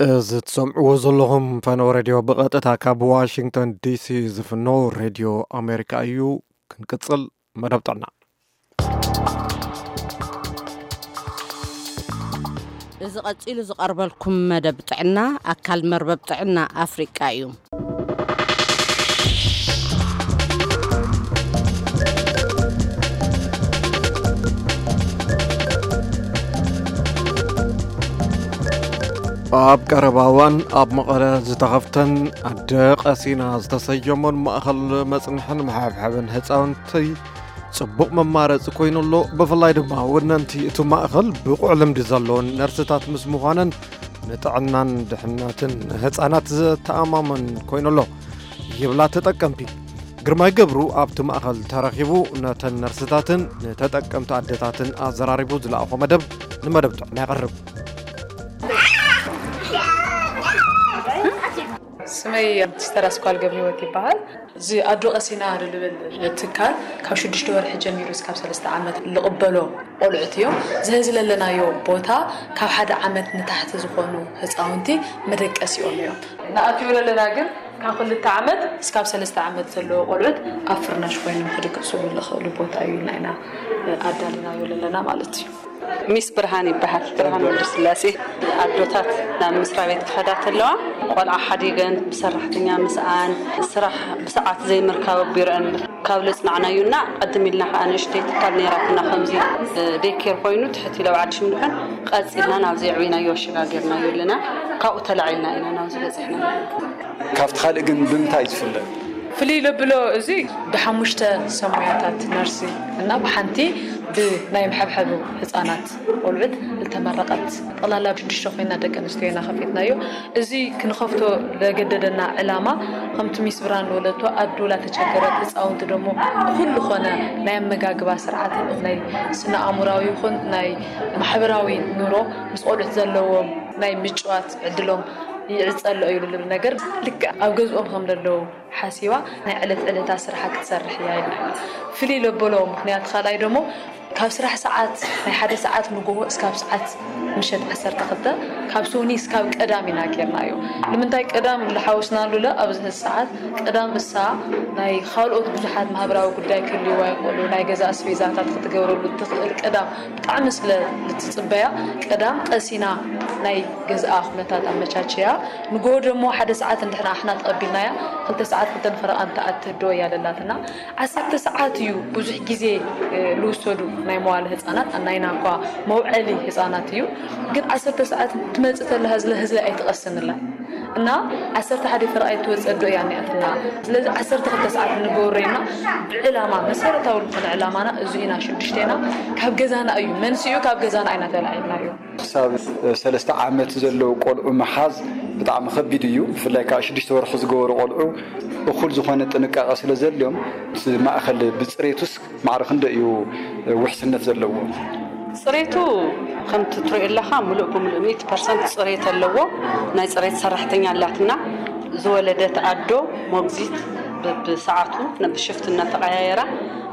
እዚ ትሰምዕዎ ዘለኹም ፈነወ ሬድዮ ብቐጥታ ካብ ዋሽንግተን ዲሲ ዝፍኖ ሬድዮ ኣሜሪካ እዩ። ክንቅጽል መደብ ጥዕና። እዚ ቀጺሉ ዝቐርበልኩም መደብ ጥዕና ኣካል መርበብ ጥዕና ኣፍሪቃ እዩ። ኣብ ቀረባ እዋን ኣብ መቐለ ዝተኸፍተን ኣደ ቀሲና ዝተሰየሞን ማእኸል መጽንሕን መሓብሐብን ህፃውንቲ ጽቡቕ መማረፂ ኮይኑ ኣሎ። ብፍላይ ድማ ወነንቲ እቲ ማእኸል ብቑዕ ልምዲ ዘለዎን ነርስታት ምስ ምዃነን ንጥዕናን ድሕነትን ህፃናት ዘተኣማምን ኮይኑ ኣሎ ይብላ ተጠቀምቲ። ግርማይ ገብሩ ኣብቲ ማእኸል ተረኺቡ ነተን ነርስታትን ንተጠቀምቲ ኣደታትን ኣዘራሪቡ ዝለኣኾ መደብ ንመደብ ጥዕና የቕርብ። ስመይ ሲስተር ኣስኳል ገብረ ህይወት ይበሃል። እዚ ኣዶ ቀሲና ዝብል ትካል ካብ ሽዱሽተ ወርሒ ጀሚሩ እስካብ ሰለስተ ዓመት ልቕበሎ ቆልዑት እዮም። እዚ ዚ ለለናዮ ቦታ ካብ ሓደ ዓመት ንታሕቲ ዝኾኑ ህፃውንቲ መደቀሲኦም እዮም። ንኣትዮ ዘለና ግን ካብ ክልተ ዓመት እስካብ ሰለስተ ዓመት ዘለዎ ቆልዑት ኣብ ፍርናሽ ኮይኖም ክድቅስሉ ዝኽእሉ ቦታ እዩ ኢልና ኢና ኣዳሊናዮ ዘለና ማለት እዩ። ሚስ ብርሃን ይበሃል፣ ብርሃን ወልደስላሴ። ኣዶታት ናብ መስሪያ ቤት ክኸዳ ተለዋ ቆልዓ ሓዲገን ብሰራሕተኛ ምስኣን ስራሕ ብሰዓት ዘይምርካብ ኣቢረን ካብ ለጽናዕናዩና ቀድም ኢልና ከዓ ንእሽተይ ትካል ነይራትና ከምዚ ዴኬር ኮይኑ ትሕት ኢለ ኣብ ዓዲ ሽምድሑን ቀጺልና ናብዚ ዕብናዮ ኣሸጋጊርናዮ ኣለና። ካብኡ ተላዒልና ኢና ናብዚ በፂሕና። ካብቲ ካልእ ግን ብምንታይ ዝፍለ? ፍልይ ለብሎ እዚ ብሓሙሽተ ሰሙያታት ነርሲ እና ብሓንቲ ብናይ መሐብሐቢ ህፃናት ቆልዑት ዝተመረቐት ጠቕላላ ሽዱሽተ ኮይና ደቂ ኣንስትዮ ኢና ከፊትናዮ። እዚ ክንኸፍቶ ለገደደና ዕላማ ከምቲ ሚስ ብርሃን ለበለቶ ኣዶ ላተቸገረት ህፃውንቲ ደሞ ብኩሉ ኾነ ናይ ኣመጋግባ ስርዓትን ናይ ስነ ኣእምራዊ ይኹን ናይ ማሕበራዊ ኑሮ ምስ ቆልዑት ዘለዎም ናይ ምጭዋት ዕድሎም ይዕፀሎ እዩ ልብል ነገር ልክዕ ኣብ ገዝኦም ከም ዘለዉ ሓሲባ ናይ ዕለት ዕለታ ስርሓ ክትሰርሕ እያ ኢልና ፍልይ ለበሎ ምክንያት ካልኣይ ደሞ ካብ ስራሕ ሰዓት ናይ ሓደ ሰዓት ንጎሆ እስካብ ሰዓት ምሸት ዓሰርተ ክልተ ካብ ሶኒ እስካብ ቀዳም ኢና ጌርናዮ። ንምንታይ ቀዳም ዝሓወስናሉ ለ ኣብዚ ሰዓት ቀዳም እሳ ናይ ካልኦት ብዙሓት ማህበራዊ ጉዳይ ክህልዋ ይኽእሉ ናይ ገዛ ኣስቤዛታት ክትገብረሉ ትኽእል ቀዳም ብጣዕሚ ስለ ልትፅበያ ቀዳም ቀሲና ናይ ገዝኣ ኩነታት ኣመቻችያ ንጎሆ ደሞ ሓደ ሰዓት እንድሕና ኣሕና ተቐቢልናያ ክልተ ሰዓት ክልተን ፈረቓን ትኣትዶ እያ ለላትና ዓሰርተ ሰዓት እዩ ብዙሕ ግዜ ልውሰዱ ናይ መዋለ ህፃናት ናይና እኳ መውዐሊ ህፃናት እዩ ግን ዓሰርተ ሰዓት ትመፅእ ተላ ህዝለ ህዝለ ኣይትቐስንላ እና ዓሰርተ ሓደ ፈረቓ ኣይትወፀዶ እያ እኒኣትና ስለዚ ዓሰርተ ክልተ ሰዓት ንገብሮ ኢና ብዕላማ መሰረታዊ ዝኾነ ዕላማና እዚ ኢና ሽዱሽቴና ካብ ገዛና እዩ መንስኡ ካብ ገዛና ኣይና ተላዒልና እዩ ክሳብ ሰለስተ ዓመት ዘለዉ ቆልዑ ምሓዝ ብጣዕሚ ከቢድ እዩ። ብፍላይ ከዓ ሽዱሽተ ወርሒ ዝገበሩ ቆልዑ እኹል ዝኾነ ጥንቃቐ ስለ ዘድልዮም እቲ ማእኸል ብፅሬቱስ ማዕረ ክንደይ እዩ ውሕስነት ዘለዎ? ፅሬቱ ከምቲ ትሪኦ ኣለኻ ሙሉእ ብሙሉእ ሚእቲ ፐርሰንት ፅሬት ኣለዎ። ናይ ፅሬት ሰራሕተኛ ኣላትና። ዝወለደት ኣዶ ሞግዚት ብሰዓቱ ብሽፍት እናተቐያየራ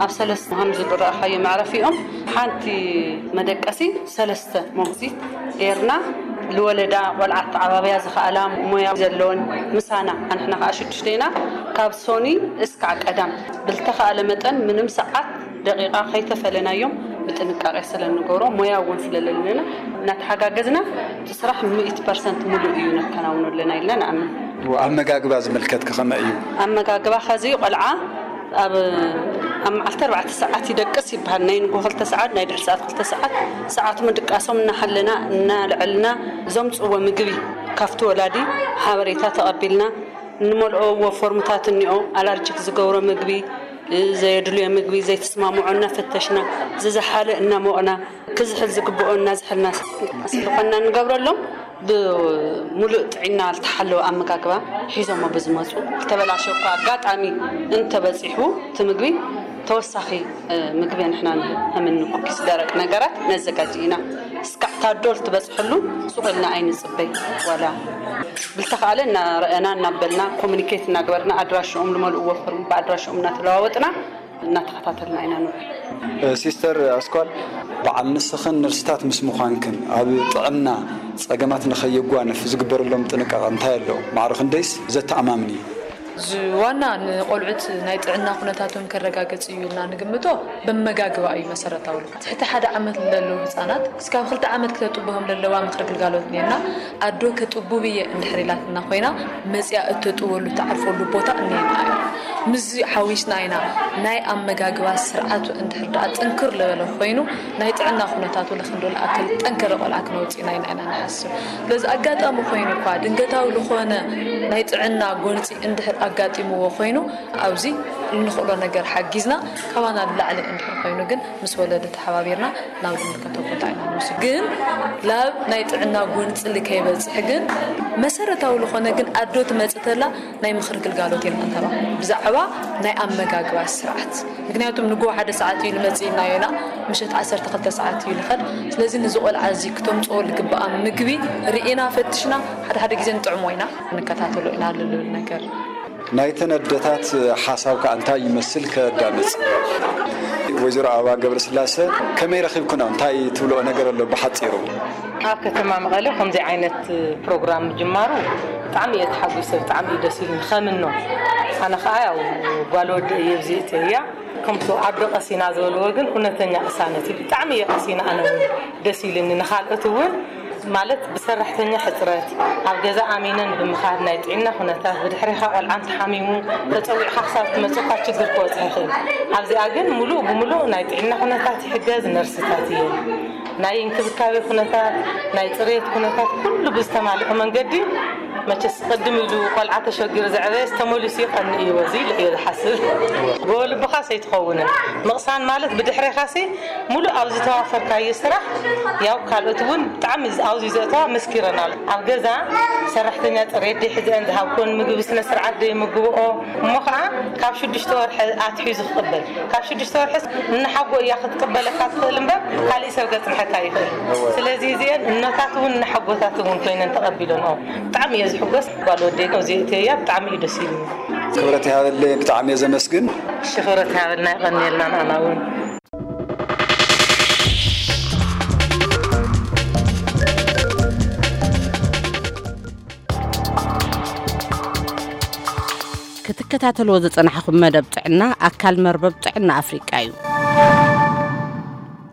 ኣብ ሰለስተ ከም ዝረኣኻዮ መዕረፊኦም ሓንቲ መደቀሲ ሰለስተ ሞግዚት ጌርና ልወለዳ ቆልዓ ተዓባብያ ዝኸኣላ ሞያ ዘለወን ምሳና ኣንሕና ከዓ ሽዱሽተ ኢና ካብ ሶኒ እስካዕ ቀዳም ብልተኸኣለ መጠን ምንም ሰዓት ደቂቃ ከይተፈለናዮም ብጥንቃቄ ስለንገብሮ ሞያ እውን ስለለለና እናተሓጋገዝና እቲ ስራሕ ሚእቲ ፐርሰንት ሙሉእ እዩ ነከናውኖ ኣለና ኢልና ንኣምን። ኣመጋግባ ዝምልከት ከኸመ እዩ? ኣመጋግባ ኸዚ ቆልዓ ኣብ ኣብ መዓልቲ ኣርባዕተ ሰዓት ይደቅስ ይበሃል ናይ ንጎ ክልተ ሰዓት ናይ ድሕሪ ሰዓት ክልተ ሰዓት ሰዓት ምድቃሶም እናሓለና እናልዐልና ዘምፅዎ ምግቢ ካብቲ ወላዲ ሓበሬታ ተቐቢልና እንመልኦዎ ፎርምታት እኒኦ ኣላርጅክ ዝገብሮ ምግቢ ዘየድልዮ ምግቢ ዘይተስማምዖ እናፈተሽና ዝዝሓለ እናሞቕና ክዝሕል ዝግብኦ እናዝሐልና ስለኾንና እንገብረሎም ብምሉእ ጥዒና ዝተሓለወ ኣመጋግባ ሒዞሞ ብዝመፁ ዝተበላሸ እኳ ኣጋጣሚ እንተበፂሑ እቲ ምግቢ ተወሳኺ ምግቢ ንሕና ንህብ ከምኒ ኩኪስ ደረቅ ነገራት ነዘጋጅ ኢና እስካዕ ታዶ ልትበፅሐሉ ሱቕ ኢልና ኣይንፅበይ ዋላ ብልተኻእለ እናረኣና እናበልና ኮሙኒኬት እናገበርና ኣድራሽኦም ዝመልእዎ ፎርም ብኣድራሽኦም እናተለዋወጥና እናተኸታተልና ኢና ንውዕል። ሲስተር ኣስኳል፣ በዓል ንስኽን ነርስታት ምስ ምዃንክን ኣብ ጥዕና ጸገማት ንኸየጓንፍ ዝግበረሎም ጥንቃቐ እንታይ ኣሎ? ማዕረ ክንደይስ ዘተኣማምን እዩ? እዚ ዋና ንቆልዑት ናይ ጥዕና ኩነታቶም ከረጋግጽ እዩ ኢልና ንግምቶ በመጋግባ እዩ መሰረታዊ። ትሕቲ ሓደ ዓመት ንለለዉ ህጻናት እስካብ ክልተ ዓመት ክተጥብሆም ለለዋ ምኽሪ ግልጋሎት እኒአና። ኣዶ ከጥቡብ እየ እንድሕር ኢላትና ኮይና መጽያ እተጥበሉ ተዓርፈሉ ቦታ እኒአና እዩ። ምስዚ ሓዊስና ኢና ናይ ኣመጋግባ ስርዓቱ እንድሕር ደኣ ጥንክር ለበለ ኮይኑ ናይ ጥዕና ኩነታቱ ለክንዶ ለኣክል ጠንከረ ቆልዓ ክነውፅእ ኢና ኢና ኢና ንሓስብ። ስለዚ ኣጋጣሚ ኮይኑ እኳ ድንገታዊ ዝኾነ ናይ ጥዕና ጎንፂ እንድሕር ኣጋጢምዎ ኮይኑ ኣብዚ እንኽእሎ ነገር ሓጊዝና ካባና ንላዕሊ እንድሕር ኮይኑ ግን ምስ ወለዲ ተሓባቢርና ናብ ዝምልከቶ ቦታ ኢና ንወስድ። ግን ላብ ናይ ጥዕና ጎንፅሊ ከይበፅሕ ግን መሰረታዊ ዝኾነ ግን ኣዶ ትመፅእ ተላ ናይ ምኽሪ ግልጋሎት ኢና እንተባ ብዛዕባ ናይ ኣመጋግባ ስርዓት። ምክንያቱም ንጎ ሓደ ሰዓት እዩ ልመፅእ ኢልና ኢና፣ ምሸት ዓሰርተ ክልተ ሰዓት እዩ ልኸድ። ስለዚ ንዚ ቆልዓ እዚ ክተምፅኦ ልግበኣ ምግቢ ርኢና ፈትሽና ሓደ ሓደ ግዜ ንጥዕሞ ኢና፣ ንከታተሎ ኢና ልብል ነገር። ናይተን ኣደታት ሓሳብ ከኣ እንታይ ይመስል ከዳምፅ። ወይዘሮ ኣበባ ገብረስላሰ፣ ከመይ ረኺብኩና? እንታይ ትብልኦ ነገር ኣሎ ብሓፂሩ? ኣብ ከተማ መቐለ ከምዚ ዓይነት ፕሮግራም ምጅማሩ ብጣዕሚ እየ ተሓጒሰ፣ ብጣዕሚ እዩ ደስ ኢሉኒ። ከምኖ ኣነ ኸዓ ያው ጓል ወዲ እየ፣ ብዚእቲ እያ። ከምቲ ኣዶ ቀሲና ዝበልዎ ግን እውነተኛ ቅሳነት እዩ። ብጣዕሚ እየ ቀሲና ኣነ እውን ደስ ኢሉኒ። ንኻልኦት እውን ማለት ብሰራሕተኛ ሕፅረት ኣብ ገዛ ኣሚነን ብምኻድ ናይ ጥዕና ኩነታት ብድሕሪኻ ቆልዓ እንተሓሚሙ ተፀዊዕኻ ክሳብ ትመፅእ እኳ ችግር ክበፅሕ ይኽእል። ኣብዚኣ ግን ሙሉእ ብሙሉእ ናይ ጥዕና ኩነታት ይሕገዝ ነርስታት እየን። ናይ እንክብካቤ ኩነታት፣ ናይ ፅሬት ኩነታት ኩሉ ብዝተማልኦ መንገዲ መቸስ ቅድም ኢሉ ቆልዓ ተሸጊሩ ዘዕበየስ ተመሊሱ ይቐንእ እዩ በዚ ኢለ እየ ዝሓስብ። ጎቦ ልብኻስ ኣይትኸውንን። ምቕሳን ማለት ብድሕሬኻሲ ሙሉእ ኣብ ዝተዋፈርካዮ ስራሕ ያው ካልኦት እውን ብጣዕሚ ኣብዚ ዘእተዋ መስኪረናል። ኣብ ገዛ ሰራሕተኛ ፅሬት ደይ ሕዘን ዝሃብኩን ምግቢ ስነ ስርዓት ደይ ምግብኦ እሞ ከዓ ካብ ሽዱሽተ ወርሒ ኣትሒዙ ክቕበል ካብ ሽዱሽተ ወርሒ እናሓጎ እያ ክትቅበለካ ትኽእል እምበር ካሊእ ሰብ ከፅንሐካ ይኽእል። ስለዚ እዚአን እኖታት እውን እናሓጎታት እውን ኮይነን ተቐቢለንኦ። ብጣዕሚ እየ ዝሕጎስ። ጓል ወደይ ነው እዚአ እተያ ብጣዕሚ እዩ ደስ ኢሉ። ክብረት ይሃበለይ፣ ብጣዕሚ እየ ዘመስግን። ሽኽረት ይሃበልና፣ ይቐንየልና ንዓና እውን። ክትከታተልዎ ዝጸናሕኹም መደብ ጥዕና ኣካል መርበብ ጥዕና ኣፍሪቃ እዩ።